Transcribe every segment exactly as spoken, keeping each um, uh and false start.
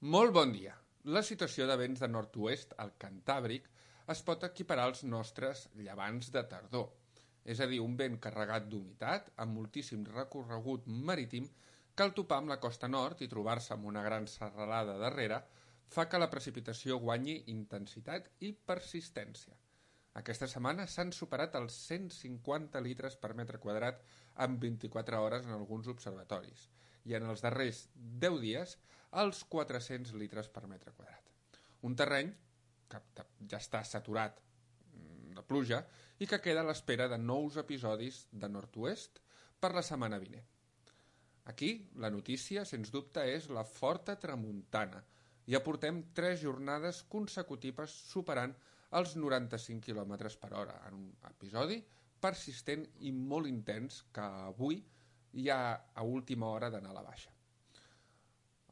Molt bon dia. La situació de vents de nord-oest al Cantàbric es pot equiparar als nostres llevants de tardor, és a dir, un vent carregat d'humitat amb moltíssim recorregut marítim que al topar amb la costa nord i trobar-se amb una gran serralada darrere fa que la precipitació guanyi intensitat i persistència. Aquesta setmana s'han superat els cent cinquanta litres per metre quadrat en vint-i-quatre hores en alguns observatoris i en els darrers deu dies els quatre-cents litres per metre quadrat. Un terreny que ja està saturat de pluja i que queda a l'espera de nous episodis de nord-oest per la setmana vinent. Aquí la notícia, sens dubte, és la forta tramuntana. Ja portem tres jornades consecutives superant els noranta-cinc quilòmetres per hora, en un episodi persistent i molt intens que avui ja a última hora d'anar a la baixa.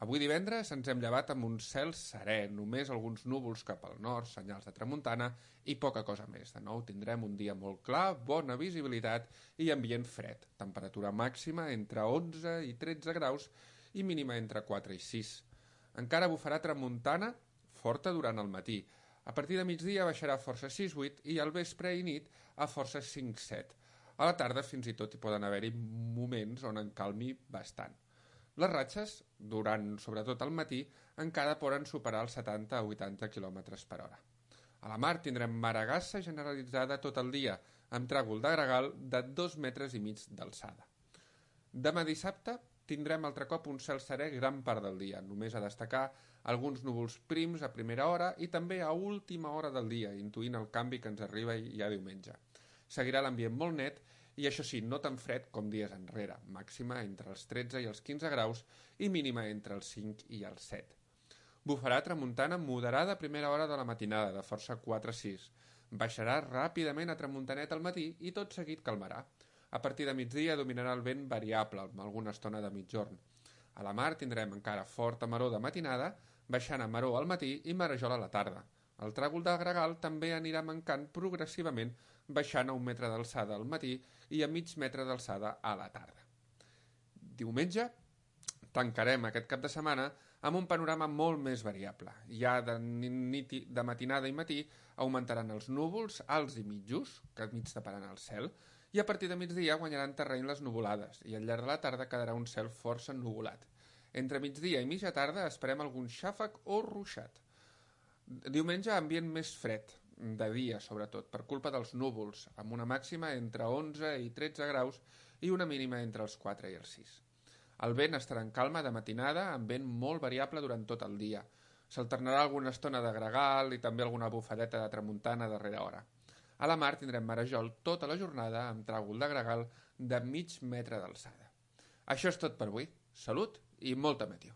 Avui divendres ens hem llevat amb un cel serè, només alguns núvols cap al nord, senyals de tramuntana i poca cosa més. De nou tindrem un dia molt clar, bona visibilitat i ambient fred. Temperatura màxima entre onze i tretze graus i mínima entre quatre i sis. Encara bufarà tramuntana forta durant el matí. A partir de migdia baixarà a força sis vuit i al vespre i nit a força cinc set. A la tarda fins i tot hi poden haver-hi moments on encalmi bastant. Les ratxes, durant sobretot el matí, encara poden superar els setanta a vuitanta quilòmetres per hora. A la mar tindrem maragassa generalitzada tot el dia, amb tràgol de gregal de dos metres i mig d'alçada. Demà dissabte tindrem altre cop un cel serè gran part del dia, només a destacar alguns núvols prims a primera hora i també a última hora del dia, intuint el canvi que ens arriba ja diumenge. Seguirà l'ambient molt net i això sí, no tan fred com dies enrere, màxima entre els tretze i els quinze graus i mínima entre els cinc i els set. Bufarà tramuntana moderada a primera hora de la matinada, de força quatre a sis. Baixarà ràpidament a tramuntanet al matí i tot seguit calmarà. A partir de migdia dominarà el vent variable, amb alguna estona de mitjorn. A la mar tindrem encara forta maror de matinada, baixant a maror al matí i marejol a la tarda. El tràgol de gregal també anirà mancant progressivament, baixant a un metre d'alçada al matí i a mig metre d'alçada a la tarda. Diumenge tancarem aquest cap de setmana amb un panorama molt més variable. Ja de, nit, de matinada i matí augmentaran els núvols alts i mitjos, que mig taparan el cel, i a partir de migdia guanyaran terreny les nuvolades i al llarg de la tarda quedarà un cel força ennuvolat. Entre migdia i mitja tarda esperem algun xàfec o ruixat. Diumenge ambient més fred, de dia sobretot, per culpa dels núvols, amb una màxima entre onze i tretze graus i una mínima entre els quatre i els sis. El vent estarà en calma de matinada, amb vent molt variable durant tot el dia. S'alternarà alguna estona de gregal i també alguna bufadeta de tramuntana a darrera hora. A la mar tindrem marejol tota la jornada amb tràgol de gregal de mig metre d'alçada. Això és tot per avui. Salut i molta meteo.